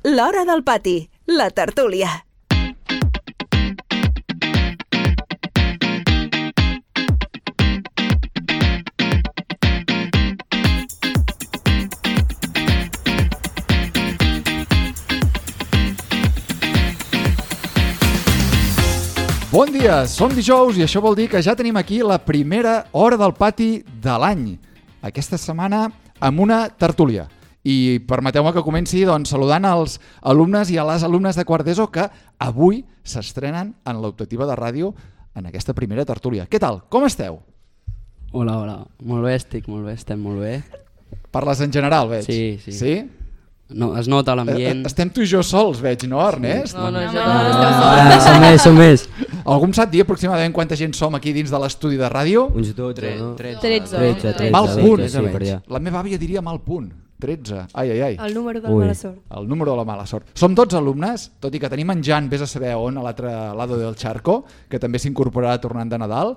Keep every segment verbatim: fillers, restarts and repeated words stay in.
L'Hora del Pati, la tertúlia. Bon dia, som dijous i això vol dir que ja tenim aquí la primera Hora del Pati de l'any. Aquesta setmana amb una tertúlia. I permeteu-me que comenci doncs, saludant els alumnes i a les alumnes de quart d'ESO que avui s'estrenen en l'optativa de ràdio en aquesta primera tertúlia. Què tal? Com esteu? Hola, hola. Molt bé, estic molt bé, estem molt bé. Parles en general, veig. Sí, sí. Sí? No, es nota l'ambient. Estem tu i jo sols, veig, no, Ernest? No, no, No, no, no, no, no, no, som més, som més. Algú em sap dir aproximadament quanta gent som aquí dins de l'estudi de ràdio? Uns dotze, no? tretze. tretze, tretze. Mal punt. Sí, per allà. La meva àvia diria mal punt. tretze. Ai, ai, ai. El número de la Ui. mala sort. El número de la mala sort. Som tots alumnes, tot i que tenim en Jan, vés a saber on, a l'altre lado del charco, que també s'incorporarà tornant de Nadal.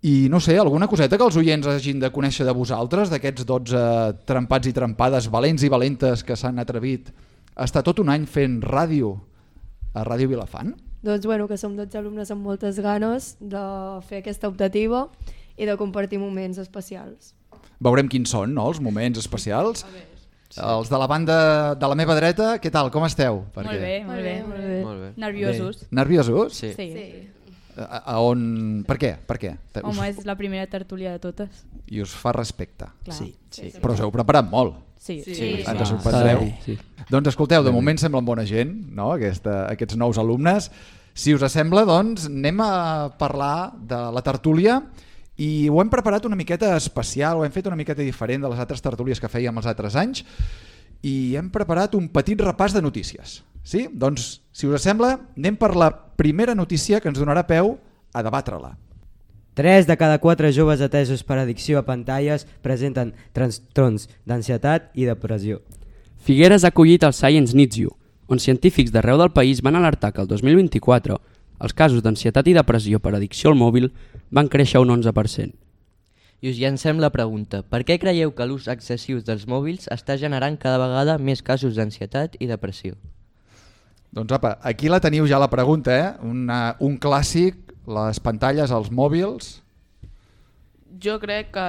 I no sé, alguna coseta que els oients hagin de conèixer de vosaltres, d'aquests dotze trempats i trempades, valents i valentes que s'han atrevit a estar tot un any fent ràdio a Ràdio Vilafant? Doncs bueno, que som dotze alumnes amb moltes ganes de fer aquesta optativa i de compartir moments especials. Veurem quins són, no?, els moments especials. Sí. Els de la banda de la meva dreta, què tal, com esteu? Molt bé, molt bé. Molt bé. Molt bé. Nerviosos. Nerviosos? Sí. Sí. Sí. A, a on... Per què? Per què? Home, és la primera tertúlia de totes. I us fa respecte. Clar. Sí, sí. Però us heu preparat molt. Sí. Sí. sí. Ens Ah, sorprendreu. sí. Doncs escolteu, de moment semblen bona gent, no? Aquesta, aquests nous alumnes. Si us sembla, doncs, anem a parlar de la tertúlia i ho hem preparat una miqueta especial, ho hem fet una miqueta diferent de les altres tertúlies que fèiem els altres anys i hem preparat un petit repàs de notícies. Sí? Doncs, si us sembla, anem per la primera notícia que ens donarà peu a debatre-la. tres de cada quatre joves atesos per addicció a pantalles presenten trastorns d'ansietat i depressió. Figueres ha acollit el Science Needs You, on científics d'arreu del país van alertar que el dos mil vint-i-quatre els casos d'ansietat i depressió per addicció al mòbil van créixer un onze per cent. I us llancem la pregunta, per què creieu que l'ús excessiu dels mòbils està generant cada vegada més casos d'ansietat i depressió? Doncs apa, aquí la teniu ja la pregunta, eh? Una, un clàssic, les pantalles, els mòbils. Jo crec que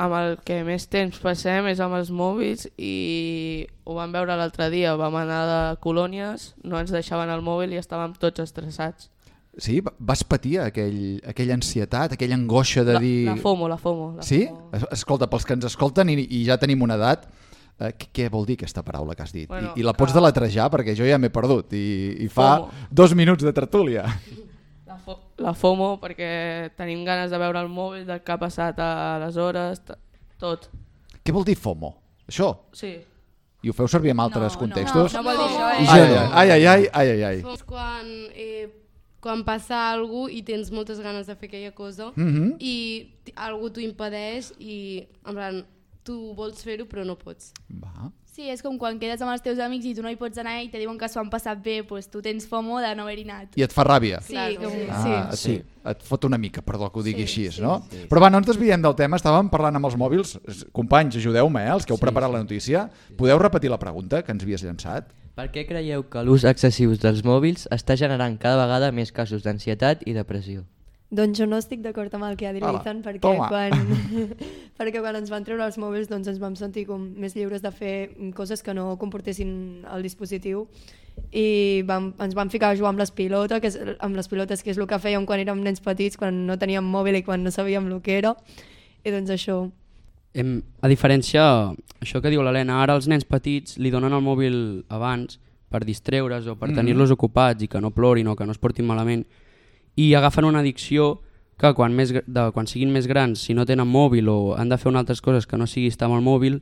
amb el que més temps passem és amb els mòbils i ho vam veure l'altre dia, vam anar de colònies, no ens deixaven el mòbil i estàvem tots estressats. Sí? Vas patir aquell, aquella ansietat, aquella angoixa de la, dir... La FOMO, la FOMO. La sí? FOMO. Escolta, pels que ens escolten i, i ja tenim una edat, eh, què, què vol dir aquesta paraula que has dit? Bueno, I, I la pots que... deletrejar perquè jo ja m'he perdut i, i fa FOMO. dos minuts de tertúlia. La, fo la FOMO perquè tenim ganes de veure el mòbil, del que ha passat a les hores, tot. Què vol dir FOMO? Això? Sí. I ho feu servir en altres No, contextos? no, no vol dir això, Ai, eh? ai, ai, ai, ai, ai, ai, ai. És quan, eh, quan passa alguna cosa i tens moltes ganes de fer aquella cosa Mhm. i t- algú t'ho impedeix i en plan, tu vols fer-ho però no pots. Va. Sí, és com quan quedes amb els teus amics i tu no hi pots anar i te diuen que s'ho han passat bé, doncs tu tens FOMO de no haver-hi anat. I et fa ràbia? Sí, Claro. com... Ah, sí. sí. Et fot una mica, perdó que ho digui Sí, així, sí, no? sí, sí. Però va, no ens desviem del tema, estàvem parlant amb els mòbils. Companys, ajudeu-me, eh, els que heu preparat la notícia. Podeu repetir la pregunta que ens havies llançat? Per què creieu que l'ús excessiu dels mòbils està generant cada vegada més casos d'ansietat i depressió? Doncs jo no estic d'acord amb el que ha dit Hola, l'Ethan perquè toma. quan, perquè quan ens van treure els mòbils doncs ens vam sentir com més lliures de fer coses que no comportessin el dispositiu i vam, ens vam ficar a jugar amb les pilotes, que és, amb les pilotes, que és el que fèiem quan érem nens petits, quan no teníem mòbil i quan no sabíem el que era, i doncs això. Hem, a diferència, això que diu l'Helena, ara els nens petits li donen el mòbil abans per distreure's o per Mm. tenir-los ocupats i que no plorin o que no es portin malament, i agafen una addicció que quan, més, gr- de, quan siguin més grans, si no tenen mòbil o han de fer unes altres coses que no sigui estar amb el mòbil,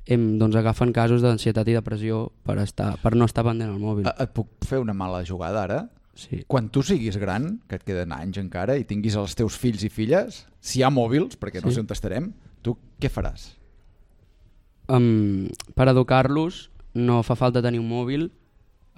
em, doncs agafen casos d'ansietat i depressió per, estar, per no estar pendent al mòbil. Eh, Et puc fer una mala jugada ara? Sí. Quan tu siguis gran, que et queden anys encara, i tinguis els teus fills i filles, si hi ha mòbils, perquè no Sí. sé on estarem, tu què faràs? Um, per educar-los no fa falta tenir un mòbil,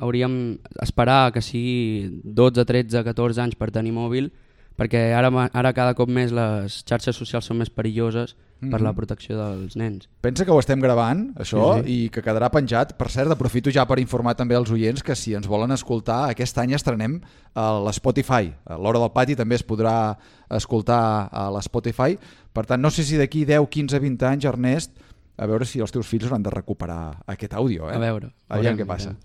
hauríem esperar que sigui dotze, tretze, catorze anys per tenir mòbil, perquè ara, ma- ara cada cop més les xarxes socials són més perilloses per la protecció dels nens. Pensa que ho estem gravant, això, Sí, sí. i que quedarà penjat. Per cert, aprofito ja per informar també als oients que si ens volen escoltar, aquest any estrenem a l'Spotify. A l'Hora del Pati també es podrà escoltar a l'Spotify. Per tant, no sé si d'aquí deu, quinze, vint anys, Ernest, a veure si els teus fills hauran de recuperar aquest àudio. Eh? A veure. Aviam què passa.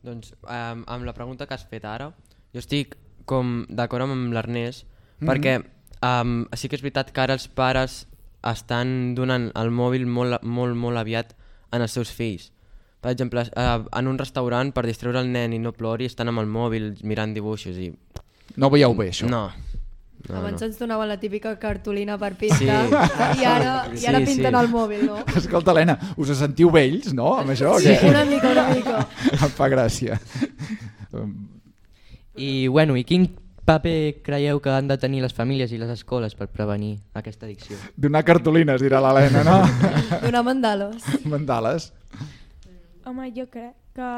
Doncs um, amb la pregunta que has fet ara, jo estic com d'acord amb l'Ernest, Mhm. perquè um, sí que és veritat que ara els pares estan donant el mòbil molt, molt, molt aviat en els seus fills. Per exemple, uh, en un restaurant, per distreure el nen i no plori, estan amb el mòbil mirant dibuixos i... No veieu bé, això? No. no Abans no. ens donaven la típica cartolina per pintar Sí. i ara, i ara Sí, pinten sí. el mòbil, no? Escolta, Helena, us sentiu vells, no, amb això? Sí, Que- una mica, una mica. Em fa gràcia. I, bueno, i quin paper creieu que han de tenir les famílies i les escoles per prevenir aquesta addicció? Donar cartolines, dirà l'Helena, no? Donar mandales. Mandales. Home, jo crec que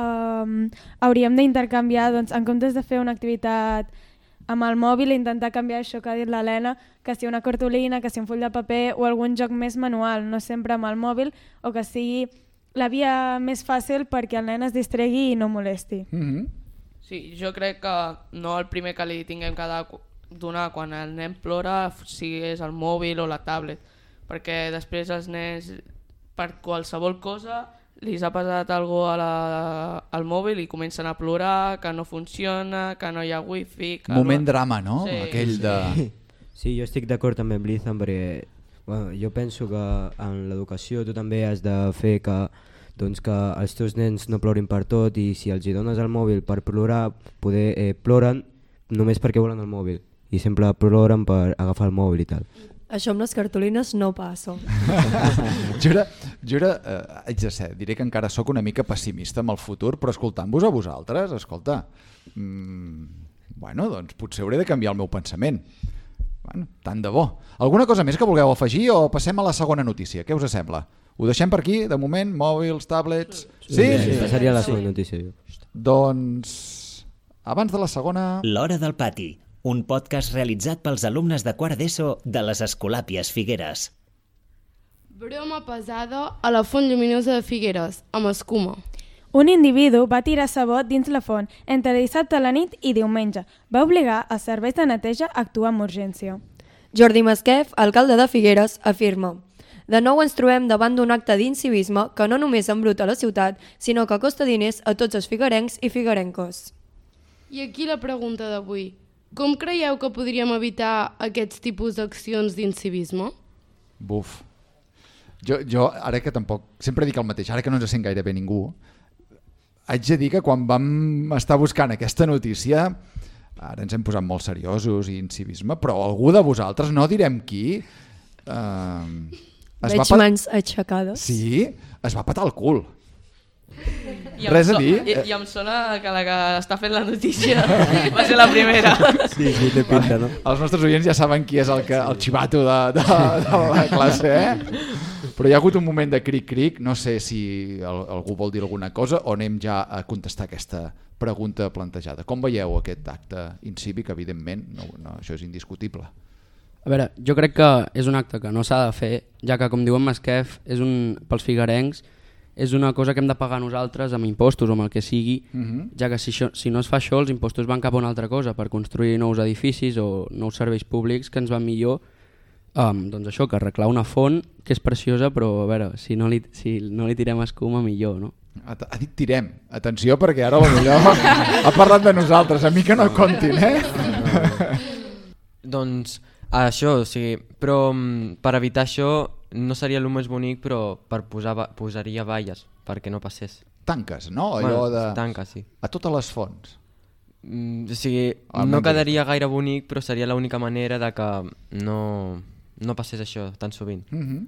um, hauríem d'intercanviar, doncs, en comptes de fer una activitat amb el mòbil, intentar canviar això que ha dit l'Helena, que sigui una cartolina, que sigui un full de paper o algun joc més manual, no sempre amb el mòbil, o que sigui la via més fàcil perquè el nen es distregui i no molesti. Mm-hmm. Sí, jo crec que no el primer que li tinguem que donar quan el nen plora sigui és el mòbil o la tablet, perquè després els nens per qualsevol cosa li ha passat alguna cosa a la, al mòbil i comencen a plorar, que no funciona, que no hi ha wifi... Que Moment no... drama, no? Sí. Aquell de... Sí, jo estic d'acord també amb l'Ethan perquè bueno, jo penso que en l'educació tu també has de fer que, doncs, que els teus nens no plorin per tot i si els hi dones el mòbil per plorar, poder, eh, ploren només perquè volen el mòbil i sempre ploren per agafar el mòbil i tal. Això amb les cartolines no passa. jo era, jo era eh, haig de ser, diré que encara sóc una mica pessimista amb el futur, però escoltant-vos a vosaltres, escolta, mmm, bueno, doncs potser hauré de canviar el meu pensament. Bueno, tant de bo. Alguna cosa més que vulgueu afegir o passem a la segona notícia? Què us sembla? Ho deixem per aquí, de moment, mòbils, tablets... Sí? Sí, sí, sí passaria a la segona notícia. Jo. Doncs, abans de la segona... L'Hora del Pati, un podcast realitzat pels alumnes de quart d'ESO de les Escolàpies Figueres. Broma pesada a la font lluminosa de Figueres, amb escuma. Un individu va tirar sabó dins la font entre dissabte a la nit i diumenge. Va obligar els serveis de neteja a actuar amb urgència. Jordi Masquef, alcalde de Figueres, afirma: de nou ens trobem davant d'un acte d'incivisme que no només embruta la ciutat, sinó que costa diners a tots els figuerencs i figuerenques. I aquí la pregunta d'avui. Com creieu que podríem evitar aquests tipus d'accions d'incivisme? Buf. Jo, jo, ara que tampoc... Sempre dic el mateix, ara que no ens sent gaire bé ningú, haig de dir que quan vam estar buscant aquesta notícia, ara ens hem posat molt seriosos i incivisme, però algú de vosaltres, no direm qui... Eh, es Veig va pat... mans aixecades. Sí, es va patar el cul. I Res a so... dir? I, I em sona que la que està fent la notícia va ser la primera. Sí, sí, té pinta, no? Els nostres oients ja saben qui és el, que, el xivato de, de, de la classe, eh? Però hi ha hagut un moment de cric-cric, no sé si el, algú vol dir alguna cosa o anem ja a contestar aquesta pregunta plantejada. Com veieu aquest acte incívic? Evidentment, no, no, això és indiscutible. A veure, jo crec que és un acte que no s'ha de fer, ja que, com diu en Masquef, és un, pels figuerencs, és una cosa que hem de pagar nosaltres amb impostos o amb el que sigui, Mhm. ja que si, això, si no es fa això, els impostos van cap a una altra cosa, per construir nous edificis o nous serveis públics que ens van millor, um, doncs això, que arreglar una font que és preciosa, però a veure, si no li, si no li tirem escuma, millor, no? Ha, ha dit tirem. Atenció, perquè ara potser ha parlat de nosaltres. A mi que no comptin, eh? Doncs això, o sigui, però mm, per evitar això no seria el més bonic, però per posar va- posaria valles perquè no passés. Tanques, no? Allò Bueno, de... tanques, sí. A totes les fonts. Mm, o sigui, Almenys no quedaria gaire bonic, però seria l'única manera de que no, no passés això tan sovint. Mhm.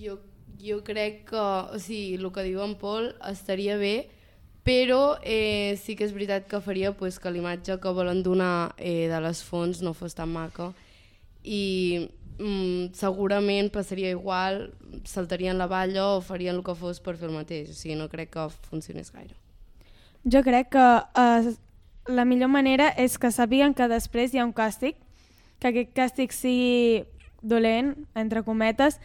Jo, jo crec que, o sigui, el que diu en Pol estaria bé, però eh, sí que és veritat que faria pues, que l'imatge que volen donar eh, de les fonts no fos tan maca i mm, segurament passaria igual, saltarien la valla o farien el que fos per fer el mateix, o sigui, no crec que funcionés gaire. Jo crec que eh, la millor manera és que sàpiguen que després hi ha un càstig, que aquest càstig sigui dolent, entre cometes,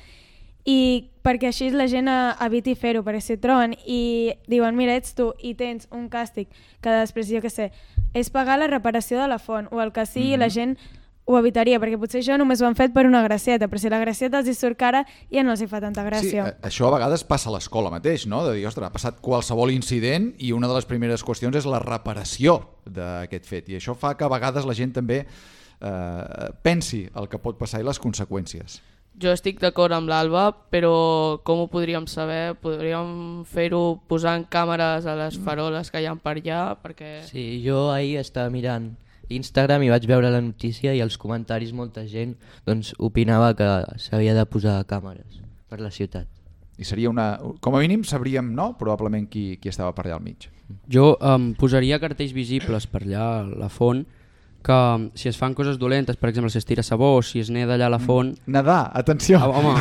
i perquè així la gent eviti fer-ho, perquè si et troben i diuen, mira, ets tu i tens un càstig que després, jo què sé, és pagar la reparació de la font o el que sigui, mm-hmm. la gent ho evitaria, perquè potser això només ho han fet per una gracieta, però si la gracieta els hi surt cara ja no els hi fa tanta gràcia. Sí, això a vegades passa a l'escola mateix, no? De dir, ostres, ha passat qualsevol incident i una de les primeres qüestions és la reparació d'aquest fet, i això fa que a vegades la gent també eh, pensi el que pot passar i les conseqüències. Jo estic d'acord amb l'Alba, però com ho podríem saber? Podríem fer-ho posant càmeres a les faroles que hi ha per allà, perquè... Sí, jo ahir estava mirant Instagram i vaig veure la notícia i als comentaris molta gent doncs, opinava que s'havia de posar càmeres per la ciutat. I seria una... Com a mínim sabríem, no?, probablement qui, qui estava per allà al mig. Jo um, posaria cartells visibles per allà a la font, que si es fan coses dolentes, per exemple, si es tira sabó o si es neda allà a la font... Nedar, atenció. Ah, home.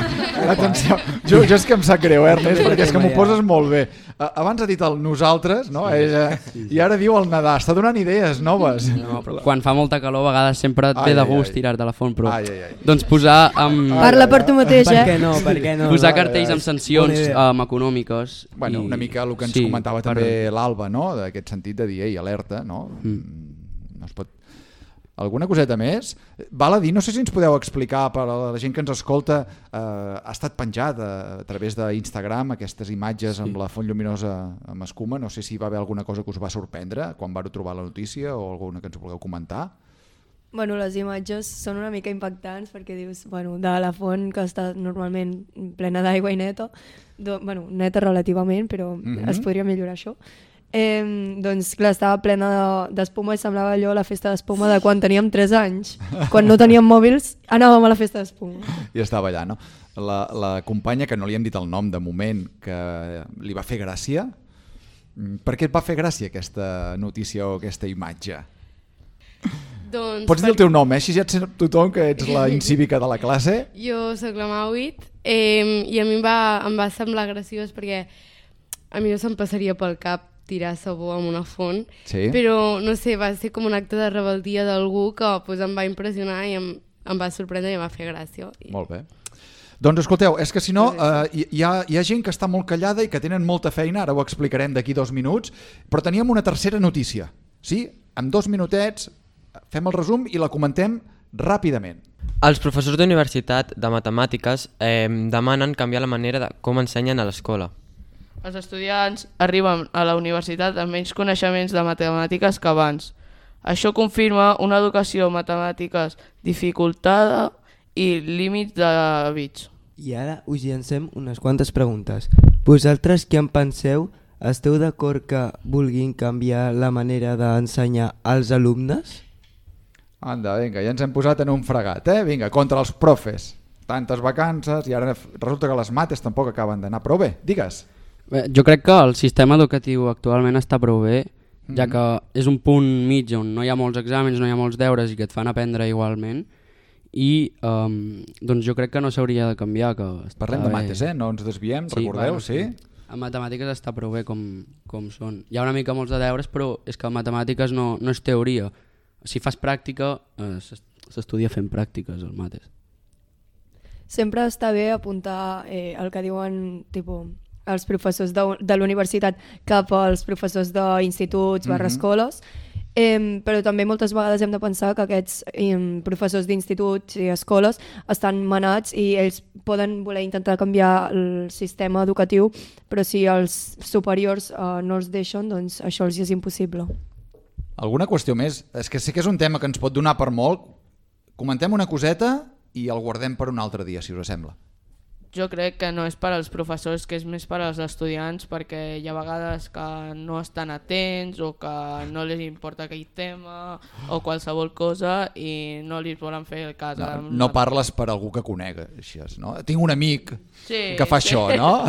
Atenció. Jo, jo és que em sap greu, Ernest, perquè és que m'ho poses molt bé. Abans ha dit el nosaltres, no? Ella, i ara diu el nedar. Està donant idees noves. No, però quan fa molta calor, a vegades sempre et ve de gust tirar de la font, però... Ai, ai, ai. Doncs posar... Amb... Parla per tu mateix, eh? Per què no? Per què no? Posar cartells amb sancions um, econòmiques. Bueno, i... una mica el que ens sí, comentava per... també l'Alba, no? D'aquest sentit de dir, ei, alerta, no? Mm. No es pot... Alguna coseta més? Val a dir, no sé si ens podeu explicar per a la gent que ens escolta, eh, ha estat penjat a, a través d'Instagram aquestes imatges sí. amb la font lluminosa amb escuma, no sé si va haver alguna cosa que us va sorprendre quan vau trobar la notícia o alguna que ens vulgueu comentar. Bueno, les imatges són una mica impactants perquè dius, bueno, de la font que està normalment plena d'aigua i neta, do, bueno, neta relativament, però mm-hmm. es podria millorar això. Eh, doncs clar, estava plena d'espuma i semblava allò la festa d'espuma de quan teníem tres anys. Quan no teníem mòbils anàvem a la festa d'espuma. I estava allà, no? La, la companya, que no li hem dit el nom de moment, que li va fer gràcia. Per què et va fer gràcia aquesta notícia o aquesta imatge? Doncs Pots dir el teu nom, eh? Així ja et sap tothom que ets la incívica de la classe. Jo soc la Mauit eh, i a mi em va, em va semblar graciós perquè a mi no se'm passaria pel cap tirar sabó amb una font, sí. però no sé, va ser com un acte de rebeldia d'algú que pues, em va impressionar i em, em va sorprendre i em va fer gràcia. I... Molt bé. Doncs escolteu, és que si no eh, hi, ha, hi ha gent que està molt callada i que tenen molta feina, ara ho explicarem d'aquí dos minuts, però teníem una tercera notícia, sí? En dos minutets fem el resum i la comentem ràpidament. Els professors d'universitat de matemàtiques eh, demanen canviar la manera de com ensenyen a l'escola. Els estudiants arriben a la universitat amb menys coneixements de matemàtiques que abans. Això confirma una educació matemàtiques dificultada i límits de bits. I ara us llancem unes quantes preguntes. Vosaltres què en penseu? Esteu d'acord que vulguin canviar la manera d'ensenyar als alumnes? Anda, vinga, ja ens hem posat en un fregat, eh? Vinga, contra els profes. Tantes vacances i ara resulta que les mates tampoc acaben d'anar prou bé. Digues. Bé, jo crec que el sistema educatiu actualment està prou bé, ja que és un punt mig on no hi ha molts exàmens, no hi ha molts deures i que et fan aprendre igualment, i um, doncs jo crec que no s'hauria de canviar. Que Parlem de mates, eh? No ens desviem, sí, recordeu, bueno, sí? En matemàtiques està prou bé com, com són. Hi ha una mica molts de deures, però és que en matemàtiques no, no és teoria. Si fas pràctica, eh, s'estudia fent pràctiques, el mates. Sempre està bé apuntar eh, el que diuen, tipus, els professors de, de l'universitat cap als professors d'instituts barra escoles, eh, però també moltes vegades hem de pensar que aquests eh, professors d'instituts i escoles estan manats i ells poden voler intentar canviar el sistema educatiu, però si els superiors eh, no els deixen, doncs això els és impossible. Alguna qüestió més? És que sé que és un tema que ens pot donar per molt. Comentem una coseta i el guardem per un altre dia, si us sembla. Jo crec que no és per als professors, que és més per als estudiants, perquè hi ha vegades que no estan atents o que no les importa aquell tema o qualsevol cosa i no li volen fer el cas. No, no parles per algú que conegues, no? Tinc un amic sí, que fa sí. això, no?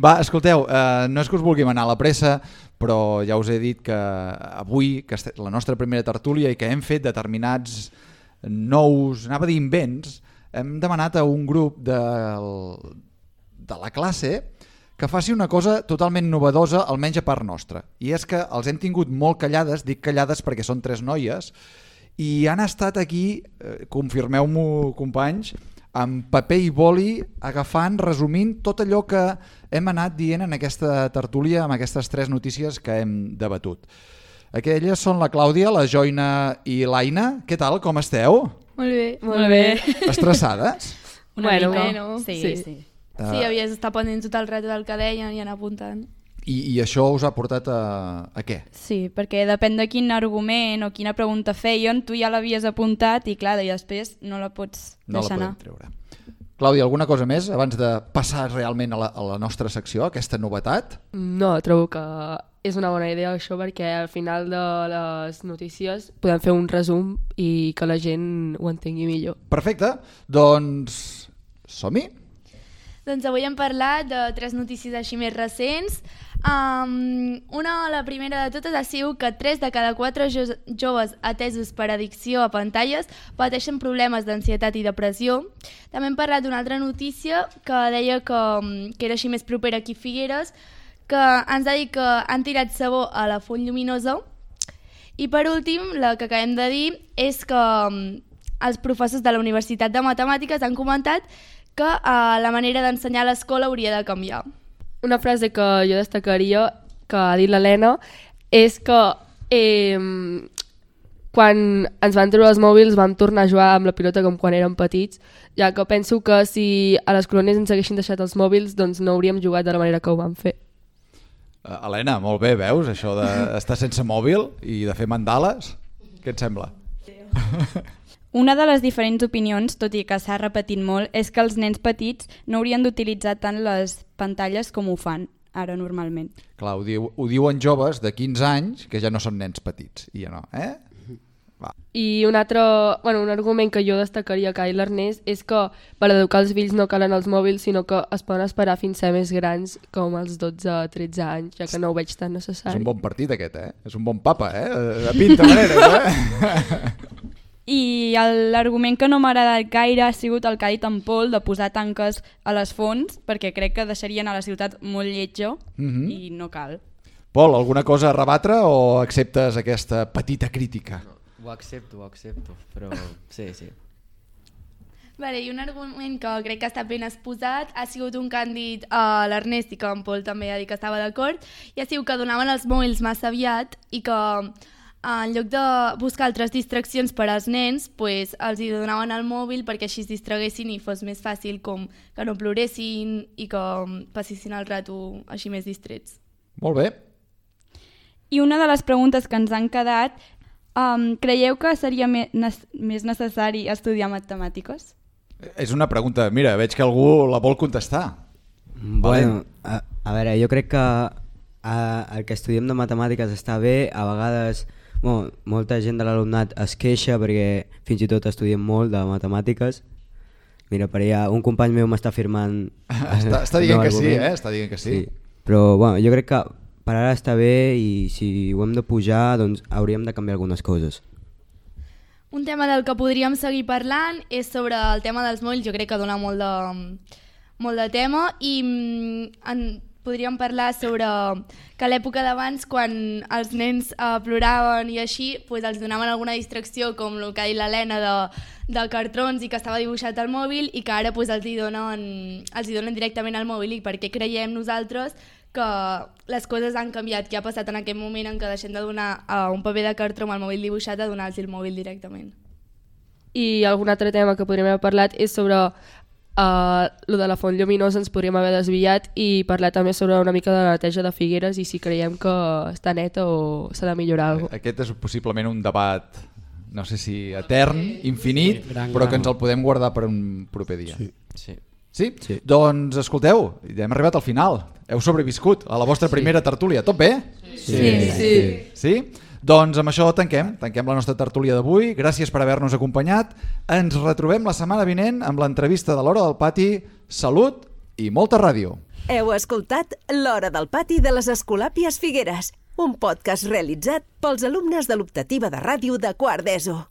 Va, escolteu, eh, no és que us vulgui manar a la pressa, però ja us he dit que avui, que és la nostra primera tertúlia i que hem fet determinats nous, anava a dir invents, hem demanat a un grup de, de la classe que faci una cosa totalment novedosa, almenys a part nostra. I és que els hem tingut molt callades, dic callades perquè són tres noies, i han estat aquí, eh, confirmeu-m'ho companys, amb paper i boli, agafant, resumint tot allò que hem anat dient en aquesta tertúlia amb aquestes tres notícies que hem debatut. Aquelles són la Clàudia, la Joina i l'Aina. Què tal, com esteu? Molt bé. Molt bé. Estressades? Una bueno, mica, no? Sí, sí. sí. Uh, Sí, havies d'estar pendent tot el rato del que deien i anar apuntant. I, I això us ha portat a, a què? Sí, perquè depèn de quin argument o quina pregunta feien, tu ja l'havies apuntat i clar, i després no la pots No la deixar podem anar. treure. Clàudia, alguna cosa més abans de passar realment a la, a la nostra secció, aquesta novetat? No, trobo que és una bona idea això perquè al final de les notícies podem fer un resum i que la gent ho entengui millor. Perfecte, doncs som-hi? Doncs avui hem parlat de tres notícies així més recents. Um, una, la primera de totes ha sigut que tres de cada quatre jo joves atesos per addicció a pantalles pateixen problemes d'ansietat i depressió. També hem parlat d'una altra notícia que deia que, que era així més propera aquí a Figueres, que ens ha dit que han tirat sabó a la font lluminosa. I per últim, la que acabem de dir és que els professors de la Universitat de Matemàtiques han comentat que uh, la manera d'ensenyar a l'escola hauria de canviar. Una frase que jo destacaria, que ha dit l'Helena, és que eh, quan ens van treure els mòbils vam tornar a jugar amb la pilota com quan érem petits, ja que penso que si a les colònies ens haguessin deixat els mòbils doncs no hauríem jugat de la manera que ho vam fer. Uh, Helena, molt bé, veus, això d'estar sense mòbil i de fer mandales? Què et sembla? Una de les diferents opinions, tot i que s'ha repetit molt, és que els nens petits no haurien d'utilitzar tant les pantalles com ho fan ara normalment. Clar, ho, diu, ho diuen joves de quinze anys que ja no són nens petits, i ja no, eh? Va. I un altre, bueno, un argument que jo destacaria que ha dit l'Ernest és que per educar els fills no calen els mòbils, sinó que es poden esperar fins a ser més grans, com els dotze a tretze anys, ja que no ho veig tan necessari. És un bon partit aquest, eh? És un bon papa, eh? De pinta manera, eh? I l'argument que no m'ha agradat gaire ha sigut el que ha dit en Pol, de posar tanques a les fonts, perquè crec que deixarien a la ciutat molt lletja mm-hmm. i no cal. Pol, alguna cosa a rebatre o acceptes aquesta petita crítica? No, ho accepto, ho accepto, però sí, sí. Vale, i un argument que crec que està ben exposat ha sigut un que han dit a l'Ernest i que en Pol també ha dit que estava d'acord, i ha sigut que donaven els mòbils massa aviat i que en lloc de buscar altres distraccions per als nens, pues, els hi donaven el mòbil perquè així es distraguessin i fos més fàcil com que no ploressin i que passessin el rato així més distrets. Molt bé. I una de les preguntes que ens han quedat, um, creieu que seria me més necessari estudiar matemàtiques? És una pregunta, mira, veig que algú la vol contestar. Bueno, a, a veure, jo crec que a, el que estudiem de matemàtiques està bé, a vegades bueno, molta gent de l'alumnat es queixa perquè fins i tot estudiem molt de matemàtiques. Mira, per allà un company meu m'està firmant... està, està dient no que sí, eh? Està dient que sí. sí. Però bueno, jo crec que per ara està bé i si ho hem de pujar doncs hauríem de canviar algunes coses. Un tema del que podríem seguir parlant és sobre el tema dels mòbils. Jo crec que dona molt de, molt de tema i en, podríem parlar sobre que a l'època d'abans, quan els nens eh, ploraven i així, pues, els donaven alguna distracció, com el que ha dit l'Helena, de, de cartrons i que estava dibuixat al mòbil, i que ara pues, els, hi donen, els hi donen directament al mòbil. I per què creiem nosaltres que les coses han canviat, que ha passat en aquest moment en què deixem de donar uh, un paper de cartró amb el mòbil dibuixat a donar-los el mòbil directament. I algun altre tema que podríem haver parlat és sobre uh, lo de la font lluminosa, ens podríem haver desviat i parlar també sobre una mica de la neteja de Figueres i si creiem que està neta o s'ha de millorar alguna cosa. Aquest és possiblement un debat, no sé si etern, infinit, sí, però que ens el podem guardar per un proper dia. Sí. Sí. Sí? Sí. Doncs escolteu, ja hem arribat al final. Heu sobreviscut a la vostra primera sí. tertúlia. Tot bé? Sí. Sí. Sí. Sí. Sí? Doncs amb això tanquem. Tanquem la nostra tertúlia d'avui. Gràcies per haver-nos acompanyat. Ens retrobem la setmana vinent amb l'entrevista de l'Hora del Pati. Salut i molta ràdio. Heu escoltat l'Hora del Pati de les Escolàpies Figueres, un podcast realitzat pels alumnes de l'optativa de ràdio de quart d'ESO.